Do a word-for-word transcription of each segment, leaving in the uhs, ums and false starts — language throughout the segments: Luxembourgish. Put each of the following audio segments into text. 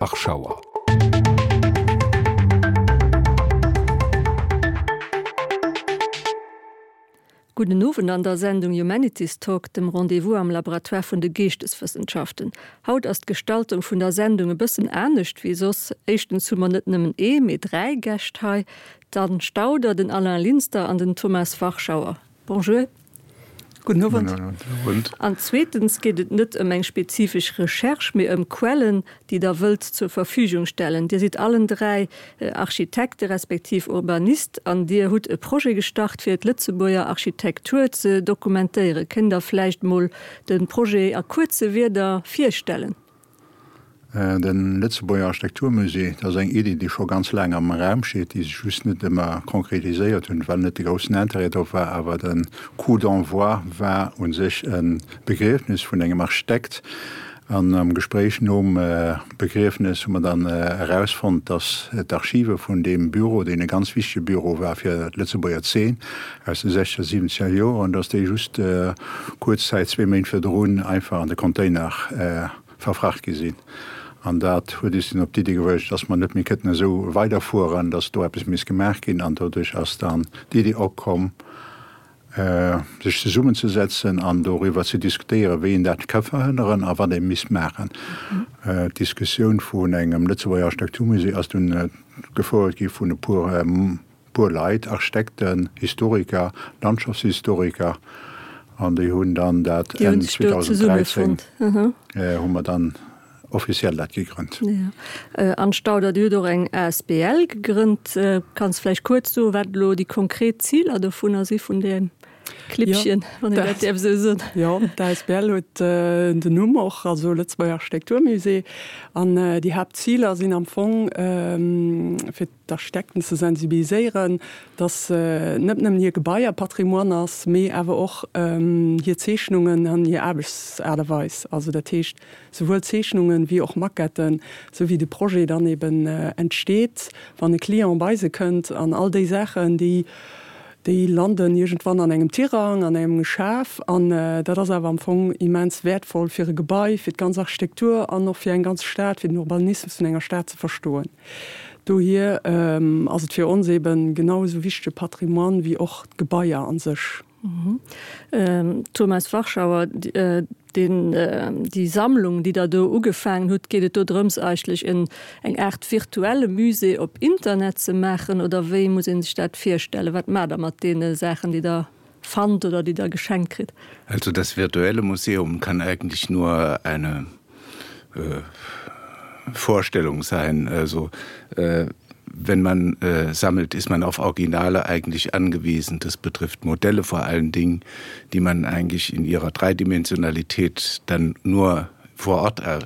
Warschauer. Gudden Owend an der Sendung Humanities Talk, dem Rendez-vous am Laboratoire vun de Geeschteswëssenschaften. Haut ass d'Gestaltung vun der Sendung e bëssen anescht wéi soss. Éischtens hu mer net nëmmen ee, mee dräi Gäscht hei, d'Anne Stauder, den Alain Linster an den Thomas Warschauer. Bonjour. Gudden Owend. An zweetens geet et net ëm eng spezifesch Recherche, mee ëm Quellen, déi Der wëllt zur Verfügung stellen. Dir sidd allen dräi Architekte respektiv Urbanist an Dir hutt e Projet gestart, fir d'Lëtzebuerger Architektur ze dokumentéieren. Kënnt Der vläicht mol de Projet a kuerze Wierder virstellen? De Lëtzebuerger Architekturmusée, dat ass eng Iddi, déi scho ganz laang am Raum steet, déi sech just net ëmmer konkretiséiert hunn, well net de groussen Intérêt drop war. Awer de Coup d'envoi war u sech e Begriefnis vun engem Architekt. An am Gespréich nom Begriefnis hu mer dann erausfonnt, datt d'Archive vun deem Büro, deen e ganz wichtege Büro war fir d'Lëtzebuerger Zeen aus de sechzeger, siwwenzeger Joren, datt déi just kuerz Zäit, zwee Méint virdrun, einfach an de Container verfracht gi sinn. An dat huet is dunn op d'Iddi gebruecht, dass mer net méi kënnten esou weiderfueren, dass do eppes misst gemaach ginn. An doduerch ass dann d'Iddi opkomm, sech zesummenzesetzen an doriwwer ze diskutéieren, wéi een dat ka verhënneren a wat ee misst maachen. D'Diskussioun vun engem Lëtzebuerger Architekturmusée ass dunn gefouert gi vun e puer puer Leit, Architekten, Historiker, Landschaftshistoriker, an déi hunn dann dat Enn zweedausend dräizéng hu mer dann offiziell dat gegrënnt. Jo. Anne Stauder, Dir hutt och eng asbl gegrënnt. Kanns vläicht kuerz soen, wat elo déi konkret Ziler dovunner si vun deem Klippchen, wann een dat däerf esou soen? Jo, d'asbl huet den Numm och, also Lëtzebuerger Architekturmusée. An déi Haaptziler sinn am Fong, fir d'Architekten ze sensibiliséieren, datt net nëmmen hir Gebaier Patrimoine ass, mee awer och hir Zeechnungen an hir Aarbechtsaart a Weis. Also dat heescht souwuel Zeechnungen wéi och Maquetten, sou wéi de Projet dann eben entsteet, wann e Client bei se kënnt an all déi Saachen, déi Déi landen iergendwann an engem Tirang, an engem Schaf. An dat ass awer am Fong immens wäertvoll fir e Gebai, fir d'ganz Architektur an och fir eng ganz Stad, fir den Urbanismus vun enger Stad ze verstoen. Dohier ass et fir ons eeben genau esou wichtege Patrimoine wéi och d'Gebaier a sech. Thomas Warschauer, Deen, déi Sammlung, déi Der do ugefaangen hutt, geet et do drëms eigentlech en, eng Aart virtuelle Musée op Internet ze maachen oder wéi muss ee sech dat virstellen? Wat maacht Der mat deene Saachen, déi Der fannt oder déi Der geschenkt kritt? Also das virtuelle Museum kann eigentlich nur eine äh, Vorstellung sein. Also äh, wenn man äh, sammelt, ist man auf Originale eigentlich angewiesen. Das betrifft Modelle vor allen Dingen, die man eigentlich in ihrer Dreidimensionalität dann nur vor Ort äh,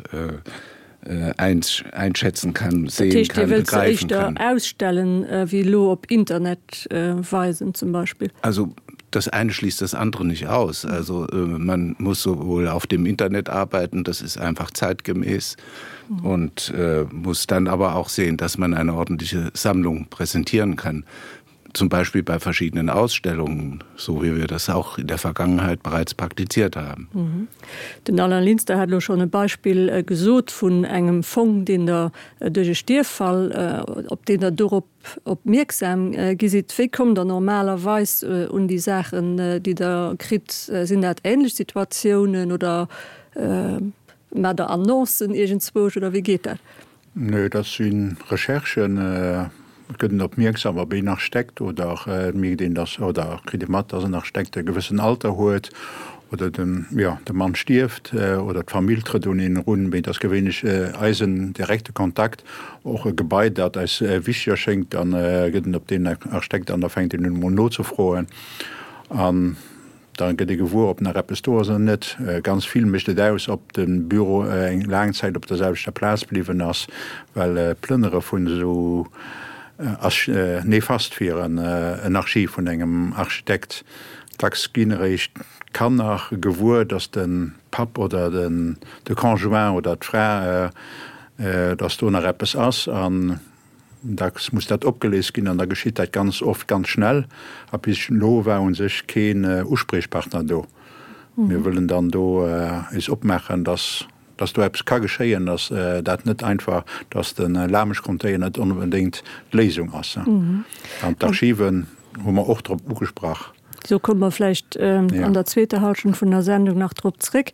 äh, einschätzen kann, sehen kann, begreifen kann. Ausstellen äh, wéi elo op Internet äh, weisen zum Beispill. Also das eine schließt das andere nicht aus. Also äh, man muss sowohl auf dem Internet arbeiten, das ist einfach zeitgemäß mhm. und äh, muss dann aber auch sehen, dass man eine ordentliche Sammlung präsentieren kann. Zum Beispiel bei verschiedenen Ausstellungen, so wie wir das auch in der Vergangenheit bereits praktiziert haben. Mhm. Den Alain Linster hat elo schonn e Beispill äh, gesot vun engem Fong, deen Der äh, duerch e Stierffall, äh, op deen Der dorop opmierksam gi sidd. Wéi kommt Der normalerweis un déi Saachen, déi Der kritt? Sinn dat änlech Situatiounen oder maacht Der Annoncen iergendzwousch oder wéi geet dat? Nö, dat si Recherchen. Et gëtt een opmierksam, ob een Architekt oder et mierkt een, dass, oder kritt ee mat, dass en Architekt e gewëssen Alter huet oder den, jo, de Mann stierft oder d'Famill trëtt un een erun. Mee et ass gewéinlech eisen direkte Kontakt, och e Gebai, dat eis wichteg erschéngt, da gëtt en op deen Architekt an da fänkt een un emol nozefroen. An da gëtt ee gewuer, ob nach eppes do ass oder net. Ganz vill mécht et aus, ob de Büro eng laang Zäit op der selwechter Plaz bliwwen ass, well d'Plënnere vun esou ass nefast fir en Archiv vun engem Architekt. Dacks ginn eréischt d'Kanner gewuer, datt de Papp oder de Conjoint oder d'Fra, datt do nach eppes ass. An dacks muss dat opgeléist ginn an da geschitt dat ganz oft ganz schnell. A bis elo war u sech keen Uspriechpartner do. Mir wëllen dann do eis opmaachen, datt dass do eppes ka geschéien, dass dat net einfach, dass de Lameschcontainer net onbedéngt d'Léisung ass. An d'Archiven hu mer och drop ugesprach. Do komme mer vläicht an der zweeter Halschent vun der Sendung nach drop zréck.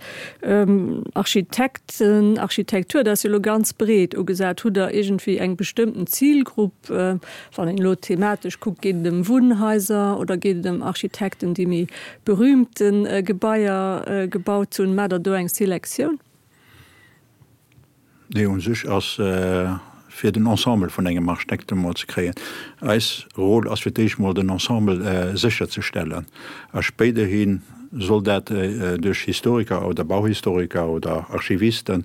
Architekten, Architektur, dat ass jo elo ganz breet ugesat. Hutt Der iergendwéi eng bestëmmten Zilgrupp, wann een elo thematesch kuckt, geet et ëm Wunnhaiser oder geet et ëm Architekten, déi méi berühmte Gebaier gebaut hunn? Maacht Der do eng Selektioun? Nee, u sech ass fir den Ensemble vun engem Architekt emol ze kréien. Eis Rôle ass fir d'éischt mol den Ensemble sécherzestellen a spéiderhi soll dat duerch Historiker oder Bauhistoriker oder Archivisten,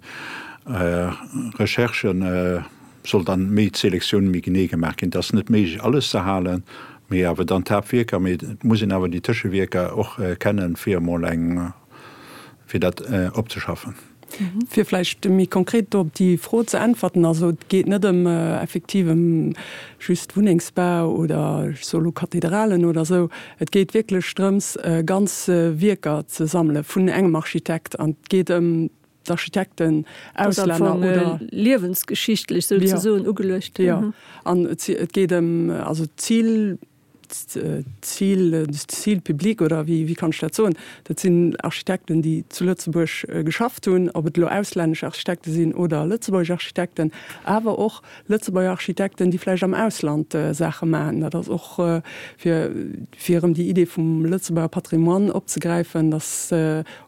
Recherchen, soll dann méi d'Selektioun méi genee gemaach ginn. Et ass net méiglech alles ze halen, mee awer dann d'Haaptwierker, mee et muss een awer déi Tëschewierker och kennen, fir emol eng, fir dat opzeschaffen. Fir vläicht méi konkret do op déi Fro ze äntwerten, also et geet net ëm effektiv ëm just Wunnengsbau oder ech soe lo Kathedralen oder esou. Et geet wierklech drëms, ganz Wierker ze sammele vun engem Architekt an et geet ëm d'Architekten, Auslänner oder. Liewensgeschichtlech souzesoen ugeluecht. Jo, an et geet ëm, also d'Zil, D'Zil, Cible publique oder wéi, wéi kann ech dat soen, dat sinn Architekten, déi zu Lëtzebuerg geschafft hunn, ob et elo auslännesch Architekte sinn oder lëtzebuergesch Architekten, awer och Lëtzebuerger Architekten, déi vläicht am Ausland Saache maachen. Dat ass och fir, fir erëm déi Idee vum Lëtzebuerger Patrimoine opzegräifen, datt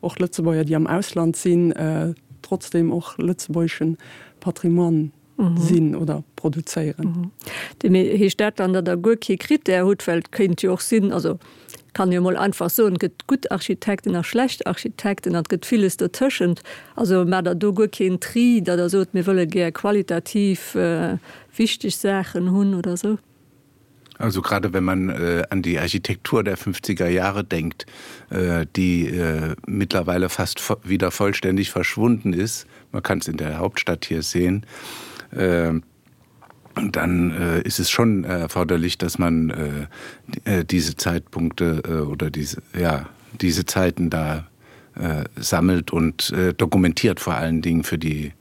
och Lëtzebuerger, déi am Ausland sinn, trotzdem och lëtzebuergesche Patrimoine sinn oder produzéieren. Mee heescht dat dann, datt Der guer kee Krittär hutt? Well et kéint jo och sinn, also kann jo mol einfach soen, et gëtt gutt Architekten a schlecht Architekten an et gëtt villes dotëschent. Also maacht Der do guer keen Tri, datt Der sot, mir wëlle gär qualitativ wichteg Saachen hunn oder esou? Also gerade wenn man äh, an die Architektur der fünfziger Jahre denkt, äh, die äh, mittlerweile fast wieder vollständig verschwunden ist, man kann es in der Hauptstadt hier sehen, äh, dann äh, ist es schon erforderlich, dass man äh, äh diese Zeitpunkte äh, oder diese, ja, diese Zeiten da äh, sammelt und äh, dokumentiert vor allen Dingen für die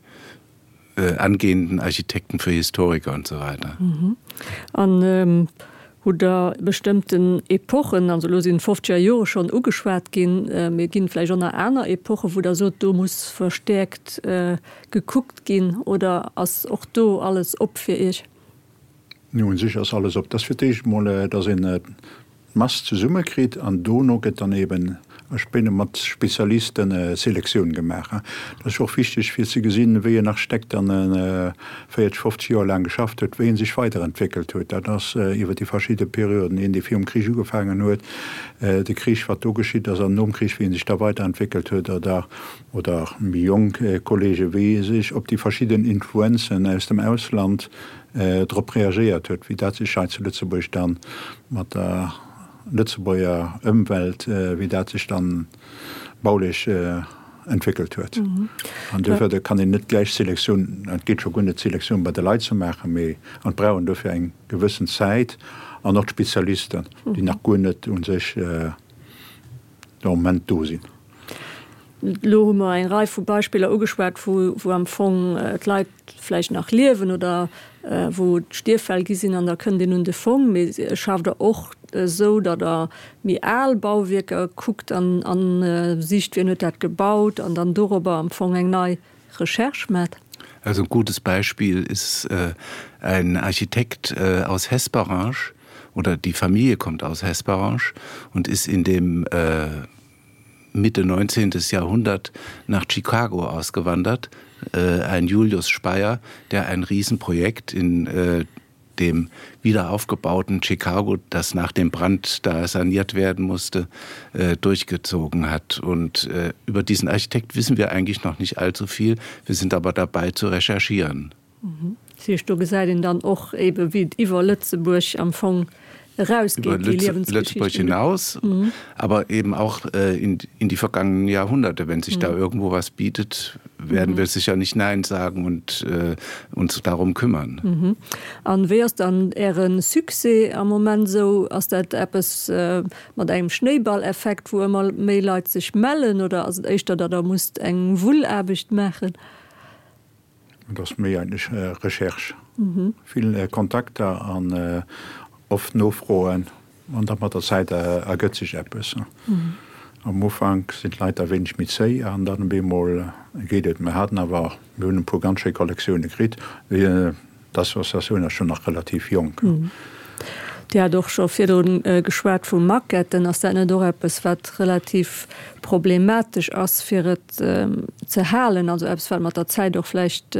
äh, angehenden Architekten, für Historiker und so weiter. Mhm. An ähm, hutt Der bestëmmten Epochen, also elo sinn d'fofzeger Jore schonn ugeschwat ginn, mee et ginn vläicht och nach aner Epochen, wou Der sot, do muss verstäerkt gekuckt ginn, oder ass och do alles op fir Iech? Jo, u sech ass alles op. Dat ass fir d'éischt emol, datt een d'Mass zesummekritt an dono gëtt dann eben mat Spezialisten Selektioun gemaach. Dat ass och wichteg fir ze gesinn, wéi en Architekt dann véierzeg, fofzeg Joer laang geschafft huet, wéi en sech weiderentwéckelt huet. Dat ass iwwer déi verschidde Perioden, een dee virum Krich ugefaangen huet, de Krich, wat do geschitt ass an nom Krich, wéi en sech da weiderentwéckelt huet oder oder méi jonk Kollege wéi e sech op déi verschidden Influenzen aus dem Ausland drop reagéiert huet, wéi dat sech hei zu Lëtzebuerg dann mat der Lëtzebuerger Ëmwelt, wéi dat sech dann baulech entwéckelt huet. An duerfir kann een net gläich Selektioun, et geet scho guer net d'Selektioun bei de Leit ze maachen, mee an et brauch een dofir eng gewëssen Zäit an och d'Spezialisten, déi nach guer net u sech de Moment do sinn. Elo hu mer eng Rei vu Beispiller ugeschwat, wou am Fong d'Leit vläicht nach liewen oder wou et Stierffäll gi sinn an da kënnt een un de Fong. Mee schafft Der och esou, datt Der méi al Bauwierker kuckt an sicht, wien huet dat gebaut an dann dorobber am Fong eng nei Recherche maacht? Also ein gutes Beispiel ist ein Architekt aus Hesperange oder die Familie kommt aus Hesperange und ist in dem Mitte neunzehntes Jahrhundert nach Chicago ausgewandert, ein Julius Speyer, der ein Riesenprojekt in dem wiederaufgebauten Chicago, das nach dem Brand da saniert werden musste, durchgezogen hat. Und über diesen Architekt wissen wir eigentlich noch nicht allzu viel. Wir sind aber dabei zu recherchieren. Dat heescht, do gesäit een dann och ebe wéi et iwwer Lëtzebuerg am Fong erausgeet, déi Liewensgeschichten. Lëtzebuerg hinaus, mhm. aber eben auch äh, in, in die vergangenen Jahrhunderte. Wenn sich mhm. da irgendwo was bietet, werden mhm. wir sicher nicht Nein sagen und äh, uns darum kümmern. Mhm. An wéi ass dann Äre Succès am Moment sou? Ass dat eppes äh, mat engem Schnéiballeffekt, wou ëmmer méi Leit sech mellen oder ass et éischter, datt Der musst eng Wullaarbecht maachen? Dat ass méi eigentlech äh, Recherche. Mhm. Vill äh, Kontakter an äh, oft Nofroen an da mat der Zäit ergëtt sech eppes. Mhm. Am Ufank sinn d'Leit e wéineg méi zéi an dann op eemol geet et. Mir haten awer, mir hunn e puer ganz schéi Kollektioune kritt. D'Associatioun ass schonn nach relativ jonk. Mhm. Dir hat och scho virdrun geschwat vu Maquetten. Ass dat net och eppes, wat relativ problematesch ass, fir et ze halen? Also eppes, wat mat der Zäit och vläicht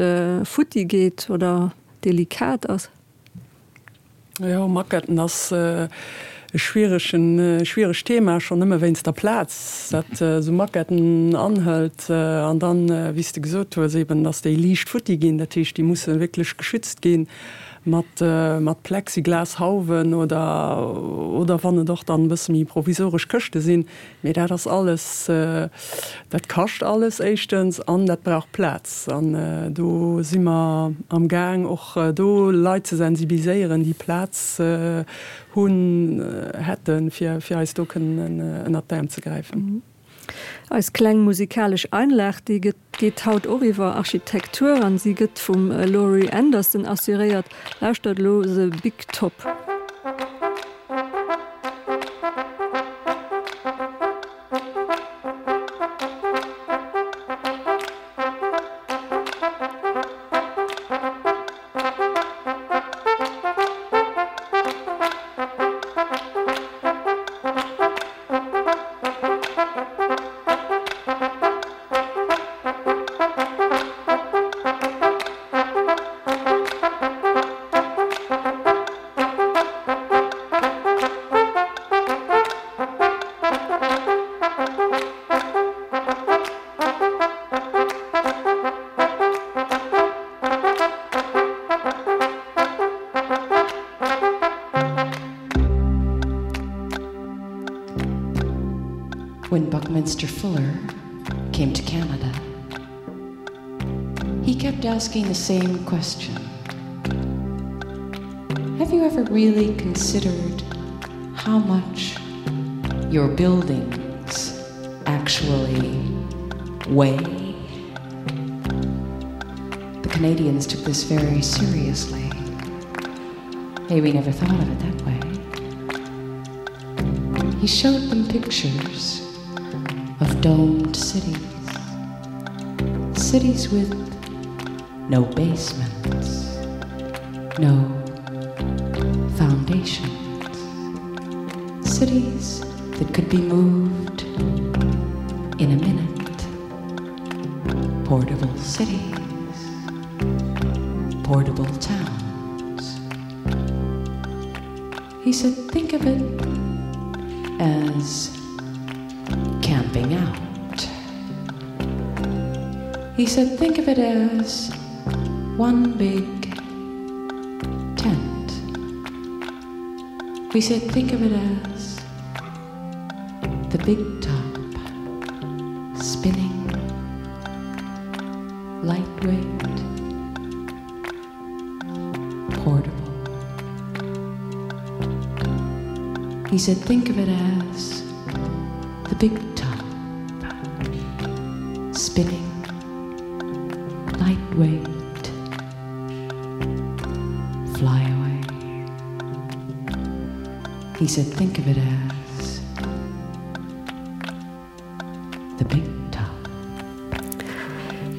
futti geet oder delikat ass? Jo, Maquetten ass e schwieregen, schwieregt Thema, schonn nëmme wéinst der Plaz, dat esou Maquetten anhëlt. An dann, wéi s de gesot hues, eben, datt déi liicht futti ginn. Dat heescht, déi musse wierklech geschützt gi mat, mat Plexiglas-Hauwen oder, oder wann et och dann e bësse méi provisoresch Këschte sinn. Mee dat ass alles, dat kascht alles éischtens an dat brauch Plaz. An do si mer am Gaang och do Leit ze sensibiliséieren, déi Plaz hunn, hätten, fir fir eis do kënnen ënnert d'Äerm ze gräifen. Eis kleng musikalesch Einlag, déi gëtt geet haut och iwwer Architektur an si gëtt vum Laurie Anderson assuréiert. Lauschtert elo The Big Top. When Buckminster Fuller came to Canada, he kept asking the same question. Have you ever really considered how much your buildings actually weigh? The Canadians took this very seriously. Maybe never thought of it that way. He showed them pictures of domed cities, cities with no basements, no foundations, cities that could be moved in a minute, portable cities, portable towns. He said, think of it as camping out. He said, think of it as one big tent. We said, think of it as the big top spinning, lightweight, portable. He said, think of it as the big top spinning, lightweight, fly away. He said, think of it as the big top.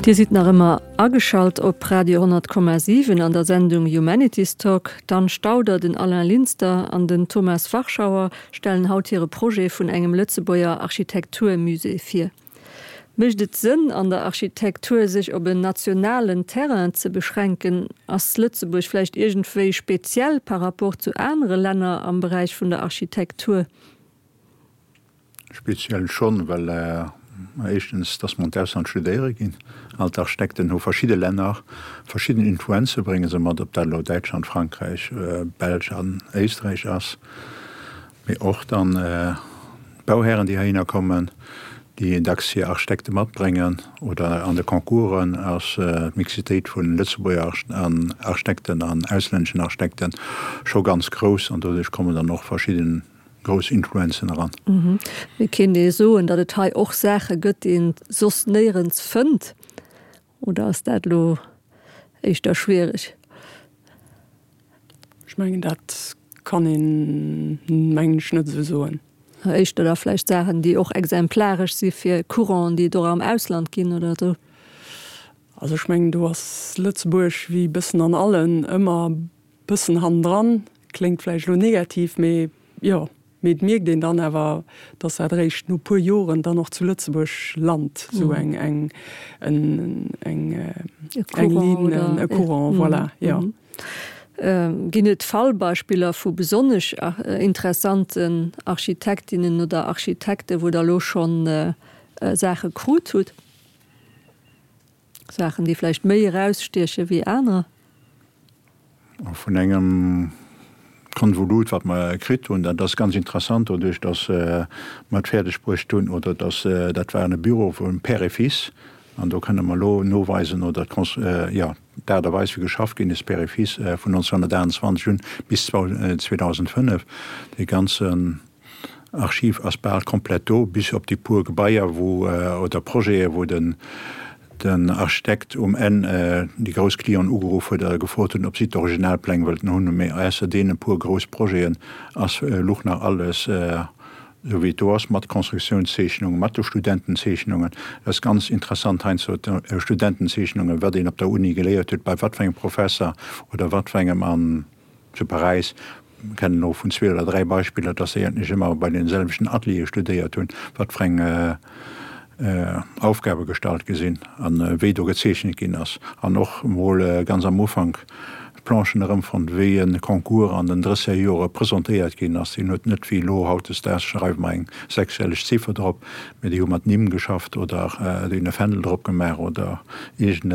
Dir sidd nach ëmmer ageschalt op Radio honnert Komma siwen an der Sendung Humanities Talk. D'Anne Stauder, den Alain Linster an den Thomas Warschauer stellen haut hire Projet vun engem Lëtzebuerger Architekturmusée vir. Mécht et Sënn, an der Architektur sech op en nationalen Terrain ze beschränken? Ass Lëtzebuerg vläicht iergendwéi speziell par rapport zu anere Länner am Beräich vun der Architektur? Speziell schonn, well Éischtens, dass mer an d'Ausland studéiere ginn. All d'Architekten hu verschidde Länner, verschidden Influenze brénge se mat, ob dat elo Däitschland, Frankräich, Belsch an Éisträich ass. Mee och dann d'Bauhären, déi heihinner kommen, déi dacks hir Architekte matbréngen. Oder an de Concoursen ass d'Mixitéit vu Lëtzebuerger Architekten an auslänneschen Architekten scho ganz grouss an doduerch kommen dann och verschidden grouss Influenzen eran. Mee kéint ee soen, datt et hei och Saache gëtt, déi een soss néierens fënnt? Oder ass dat elo éischter schwiereg? Ech mengen, dat kann een, mengen ech, net esou soen. Éischter da vläicht Saachen, déi och exemplaresch si fir Couranten, déi et och am Ausland ginn oder esou? Also ech mengen, do ass Lëtzebuerg, wéi e bëssen an allen, ëmmer e bëssen hannendran. Kléngt vläicht elo negativ, mee jo, mee et mierkt een dann awer, dass dat eréischt no puer Joren dann och zu Lëtzebuerg lant, esou eng, eng, eng, eng Ligne, e Courant, voilà, jo. Ginn et Fallbeispiller vu besonnesch interessanten Architektinnen oder Architekten, wou Der elo schonn Saache krut hutt? Saachen, déi vläicht méi erausstieche wéi anerer? Vun engem Konvolut, wat mer kritt hunn, dat ass ganz interessant, doduerch datt mer et fäerdeg bruecht hunn, oder datt, dat war e Büro vum Père et Fils, an do kënne mer elo noweisen, oder jo, d'Aart a Weis wéi geschafft ginn ass, Père et Fils, vun nonzénhunnertaachtundzwanzeg un bis zweedausendfënnef, dee ganzen Archiv ass bal komplett do, bis op déi puer Gebaier wou, oder Projete wou den den Architekt um Enn déi grouss Clienten ugeruff huet a gefrot hunn, ob si d'Originalpläng wëllten hunn. Mee ausser deene puer grouss Projeten ass luch nach alles esou wéi et do ass, mat Constructiounszeechnungen, mat de Studentenzeechnungen. Dat ass ganz interessant heiansdo, d'Studentenzeechnungen, wat een op der Uni geléiert huet, bei wat fir engem Professer oder wat fir engem an zu Paräis. Mir kennen elo vun zwee oder dräi Beispiller, dass se eigentlech ëmmer bei deene selwechten Ateliere studéiert hunn, wat fir eng Aufgabe gestallt gi sinn a wéi do gezeechent ginn ass. An och emol ganz am Ufank d'Planchen erëmfonnt, wéi e Concours an den drësseger Jore presentéiert ginn ass. Deen huet net wéi elo hautdesdaags schreiwe mer eng sechsstelleg Ziffer drop, mee déi hu mat Nimm geschafft oder déi hunn e Fändel drop gemaach oder iergend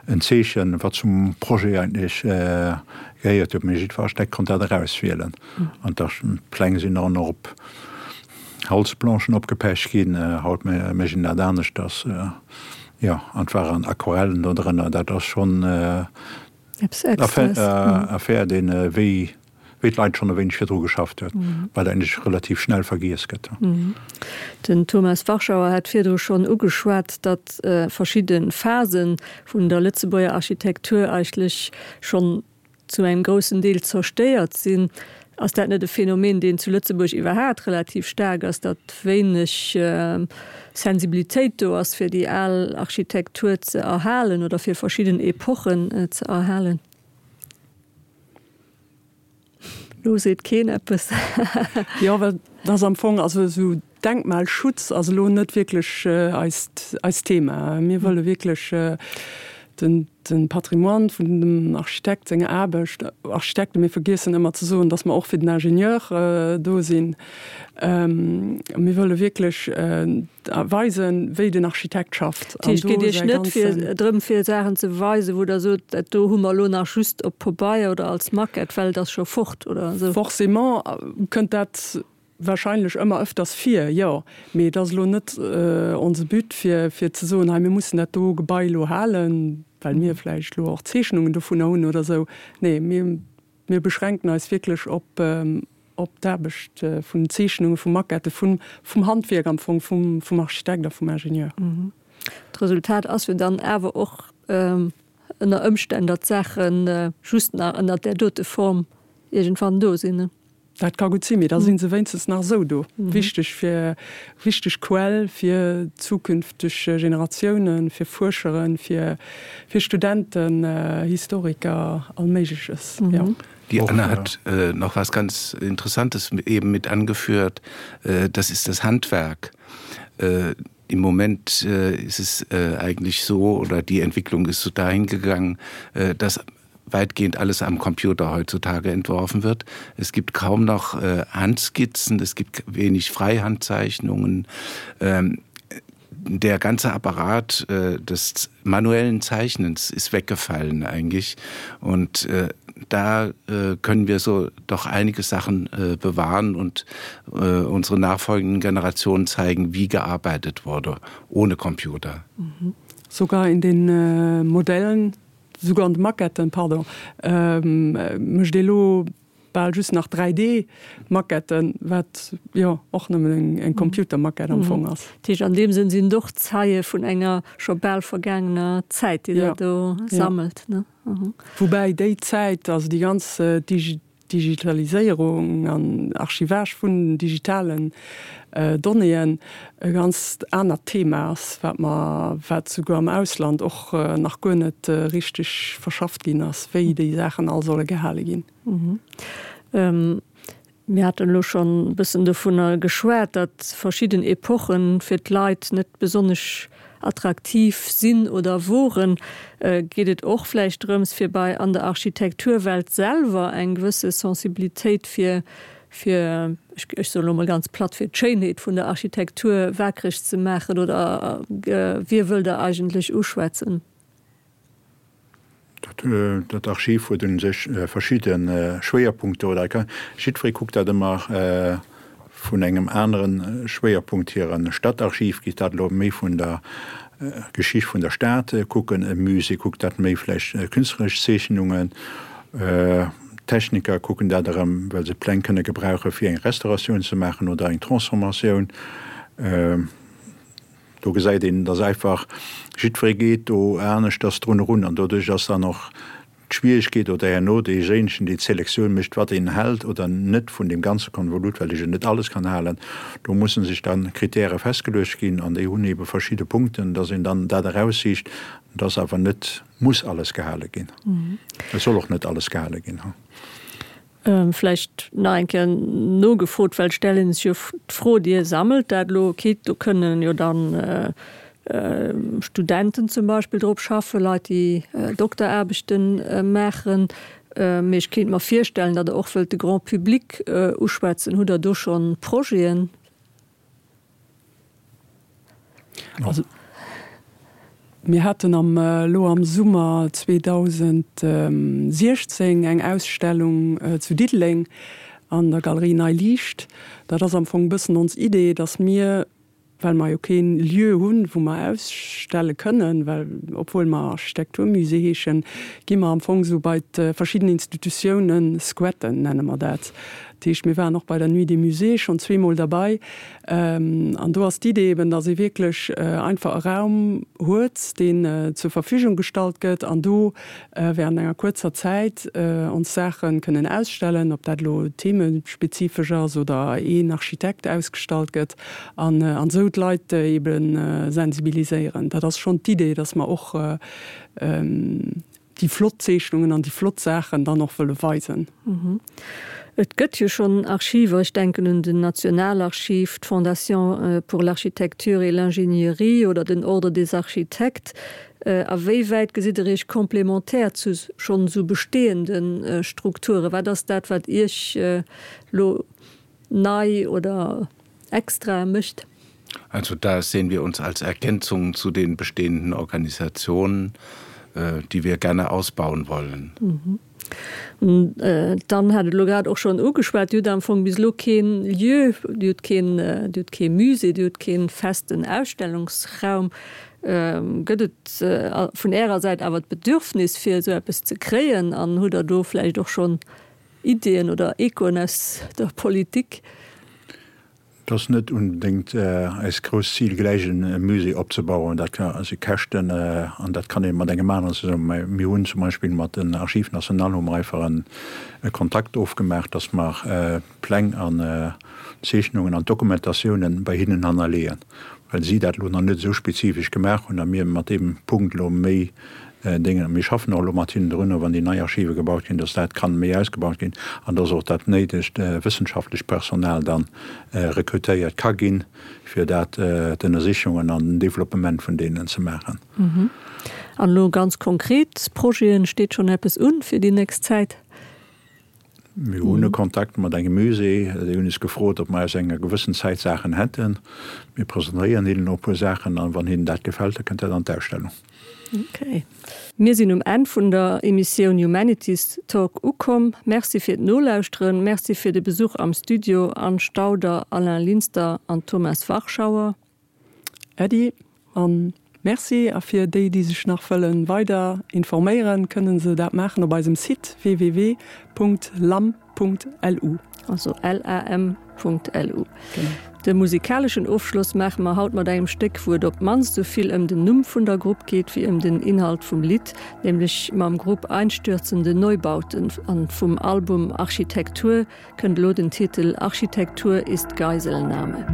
en Zeechen, wat zum Projet eigentlech gehéiert huet. Mee jiddwer Architekt konnt dat erauswielen. An d'Pläng sinn dann och op Holzplanchen opgepecht ginn. Haut mécht een dat aneschters. Jo, an et waren Aquarellen do drënner. Dat ass schonn Affär, deen, wéi d'Leit schonn e wéineg virdru geschafft huet, wat eigentlech relativ schnell vergiess gëtt. Den Thomas Warschauer hat virdru schonn ugeschwat, datt verschidde Phase vun der Lëtzebuerger Architektur eigentlech schonn zu engem groussen Deel zerstéiert sinn. Ass dat net e Phänomen, deen zu Lëtzebuerg iwwerhaat relativ staark ass, datt wéineg Sensibilitéit do ass, fir déi al Architektur ze erhalen oder fir verschidden Epochen ze erhalen? Lo seet keen eppes. Jo, well dat ass am Fong, also esou Denkmalschutz ass elo net wierklech eist, eist Thema. Mir wëlle wierklech den, den Patrimoine vun dem Architekt senger Aarbecht, Architekten, mir vergiessen ëmmer ze soen, dass mer och fir den Ingenieur do sinn, mir wëlle wierklech weisen, wéi den Architekt schafft. Dat heescht, et geet Iech net fir drëm, fir Saachen ze weisen, wou Der sot, dat do hu mer elo nach just op Pabeier oder als Maquette, well et ass scho fort oder esou? Forcément kënnt dat Wahrscheinlech ëmmer ëfters vir, jo. Mee et ass elo net onse But, fir, fir ze soen, hei mir mussen dat do Gebai elo halen, well mir vläicht elo och Zeechnungen dovunner hunn oder esou. Nee, mir, mir beschränken eis wierklech op, op d'Aarbecht vun den Zeechnungen, vu Maquettë, vum, vum Handwierk am Fong, vum, vum Architekt a vum Ingenieur. D'Resultat ass jo dann awer och ënner Ëmstänn, datt d'Saache just nach ënner där dote Form iergendwann do sinn. Dat ka gutt sinn, mee da si se wéinstens nach esou do. Wichteg fir, wichteg Quell fir zukünfteg Generatiounen, fir Fuerscheren, fir, fir Studenten, Historiker, all Méigleches, jo. Die Anna hat nach was ganz Interessantes eben mit angeführt, das ist das Handwerk. Im Moment ist es eigentlich so oder die Entwicklung ist so dahin gegangen, dass weitgehend alles am Computer heutzutage entworfen wird. Es gibt kaum noch äh, Handskizzen, es gibt wenig Freihandzeichnungen. Ähm, der ganze Apparat äh, des manuellen Zeichnens ist weggefallen eigentlich und äh, da äh, können wir so doch einige Sachen äh, bewahren und äh, unsere nachfolgenden Generationen zeigen, wie gearbeitet wurde ohne Computer. Mhm. Sogar in den äh, Modellen sogar an de Maquetten, pardon, ähm, mécht ee lo bal just nach dräi D Maquetten, wat jo och nëmmen eng, eng Computermaquette am Fong ass. Dat heescht, an deem Sënn sinn et och Zeie vun enger scho bal vergaangener Zäit, déi Der do sammelt, ne? Woubäi déi Zäit, also déi ganz Digitaliséierung an Archivage vun digitalen Donnéeën e ganzt anert Thema ass, wat mer, wat souguer am Ausland och nach guer net richteg verschafft ginn ass, wéi déi Saachen all solle gehale ginn. Mir haten elo schonn e bëssen dovunner geschwat, datt verschidden Epochen fir d'Leit net besonnesch attraktiv sinn oder woren. Geet et och vläicht drëms, fir bei an der Architekturwelt selwer eng gewësse Sensibilitéit fir, fir, ech soen elo mol ganz platt, fir d'Schéinheet vun der Architektur waakreg ze maachen? Oder wie wëllt Der eigentlech uschwätzen? Dat Archiv huet u sech verschidde Schwéierpunkter oder jiddweree kuckt dat ëmmer vun engem anere Schwéierpunkt hier. E Stadtarchiv geet dat elo méi vun der Geschicht vun der Stad kucken, e Musée kuckt dat méi vläicht künstleresch Zeechnungen, Techniker kucken dat erëm, well se Pläng kënne gebrauche fir eng Restauratioun ze maachen oder eng Transformatioun. Do gesäit een, dass einfach jiddweree geet do aneschters drun erun an doduerch ass dann och d'Schwieregkeet oder herno deejéinegen, dee d'Selektioun mécht, wat een hält oder net vun deem ganze Konvolut, well ech jo net alles kann halen. Do musse sech dann Kritäre festgeluecht ginn an déi hunn eebe verschidde Punkten, dass een dann dat eraussicht, dass awer net muss alles gehale ginn. Et soll och net alles gehale ginn. Vläicht nach eng Kéier nogefrot, well et stellt ee sech jo d'Fro, Dir sammelt dat elo, okay, do kënnen jo dann Studenten zum Beispill drop schaffen, Leit, déi Dokteraarbechte maachen, mee ech kéint mer virstellen, datt Der och wëllt de Grand public uschwätzen. Hutt Der do schonn Projeten? Also mir haten am elo am Summer zweedausensiechzéng eng Ausstellung zu Diddeleng an der Galerie Nei Liicht. Dat ass am Fong e bëssen ons Idee, datt mir, well mer jo keen Lieu hunn, wou mer ausstelle kënnen, well obwuel mer Architekturmusée heeschen, gi mer am Fong esou bei d'verschidden Institutiounen squatten, nenne mer dat. Dat heescht, mir waren och bei der Nuit des Musées schonn zweemol derbei. An do ass d'Idee eben, datt ee wierklech einfach e Raum huet, deen zur Verfügung gestallt gëtt an do während enger kuerzer Zäit ons Saache kënnen ausstellen, ob dat elo themespezifesch ass oder een Architekt ausgestallt gëtt an esou d'Leit ebe sensibiliséieren. Dat ass schonn d'Idee, datt mer och déi flott Zeechnungen an déi flott Saachen dann och wëlle weisen. Et gëtt jo schonn Archiver, ech denken un den Nationalarchiv, d'Fondation pour l'architecture et l'ingénierie oder den Ordre des architectes. A wéi wäit gesitt Der Iech komplementär zu schonn esou bestehende Strukturen? Wat ass dat, wat Iech elo nei oder extra mécht? Also da sehen wir uns als Ergänzung zu den bestehenden Organisationen, die wir gerne ausbauen wollen. Dann hat et elo grad och schonn ugeschwat, Dir hutt am Fong bis elo keen Lieu, Dir hutt keen, Dir hutt kee Musée, Dir hutt kee festen Ausstellungsraum. Gëtt et vun Ärer Säit awer d'Bedürfnis, fir esou eppes ze kréien? An hutt Der do vläicht och schonn Ideeën oder Echoen aus der Politik? Et ass net unbedéngt eist grousst Zil, gläich e Musée opzebauen. Dat si Käschten an dat kann ee mat engem aneren zesummen. Mä mir hunn zum Beispill mat den Archives nationales hu mer einfach e Kontakt ofgemaach, datt mer d'Pläng an d'Zeechnungen an d'Dokumentatiounen bei hinnen hannerleeën, well si dat elo nach net esou spezifesch gemaach hunn a mir mat deem Punkt elo méi Déngen. Mir schaffen och elo mat hinnen drun, wann déi nei Archive gebaut ginn, datt dat kann méi ausgebaut ginn an datt och dat néidegt wëssenschaftlecht Personal dann rekrutéiert ka ginn, fir dat, d'Ënnersichungen an den Développement vun deenen ze maachen. An elo ganz konkret Projeten, steet schonn eppes un fir déi nächst Zäit? Mir hunn e Kontakt mat engem Musée, déi hunn eis gefrot, ob mer aus enger gewëssen Zäit Saachen hätten. Mir presentéieren hinnen och e puer Saachen an wann hinnen dat gefält, da kënnt dat an d'Ausstellung. Okay. Mir sinn um Enn vun der Emissioun Humanities Talk ukomm. Merci fir d'Nolauschteren, Merci fir de Besuch am Studio, Anne Stauder, Alain Linster an Thomas Warschauer. Äddi an Merci. A fir déi, déi sech nach wëllen weider informéieren, kënnen se dat maachen op eisem Site www.lam.lu. Also lam.lu. De musikaleschen Ofschloss maache mer haut mat engem Stéck, wou et op d'mannst esou vill ëm den Numm vun der Grupp geet wéi ëm den Inhalt vum Lidd, nämlech mam Grupp Einstürzende Neubauten an vum Album Architektur kënnt elo den Titel Architektur ist Geiselnahme.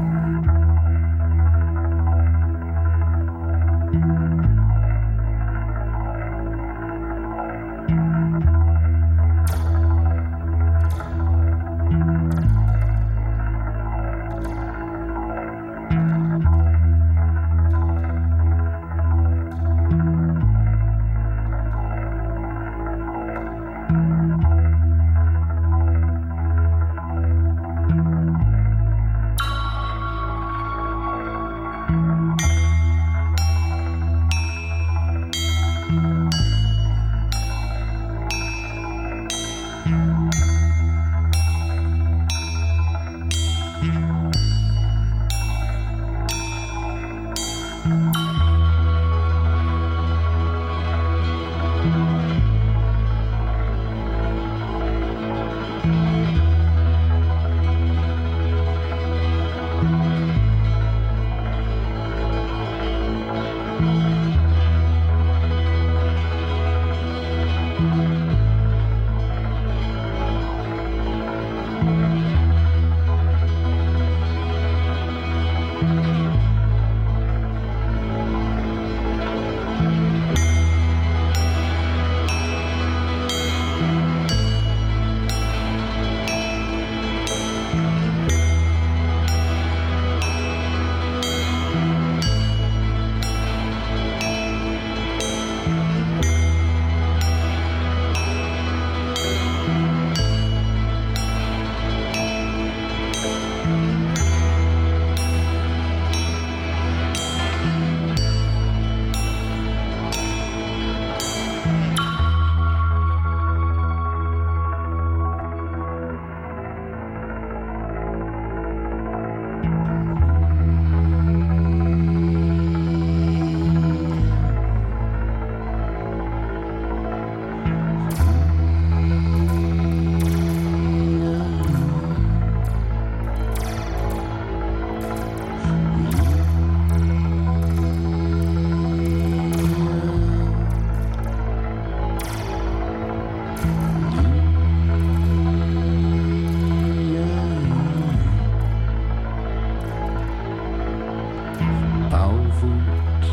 Bauwut,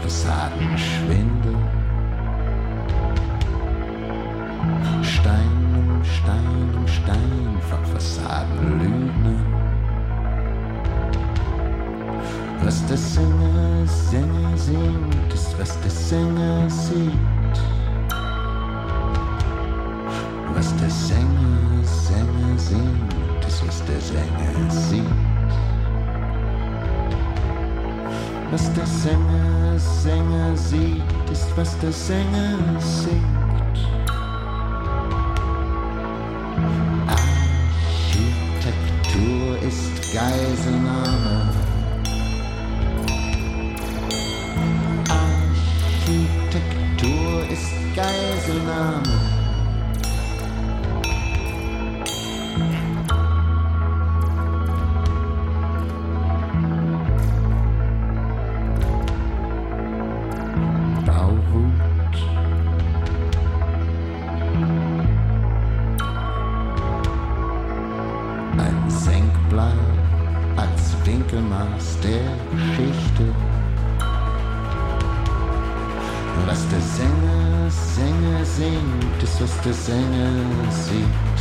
Fassadenschwindel, Stein um Stein um Stein von Fassadenlügnern. Was der Sänger, Sänger singt, ist was der Sänger sieht. Was der Sänger, Sänger singt, ist was der Sänger sieht. Was der Sänger, Sänger sieht, ist was der Sänger singt. Architektur ist Geiselnahme. Architektur ist Geiselnahme. Bauwut. Ein Senkblei als Winkelmaß der Geschichte. Was der Sänger, Sänger singt, ist was der Sänger sieht.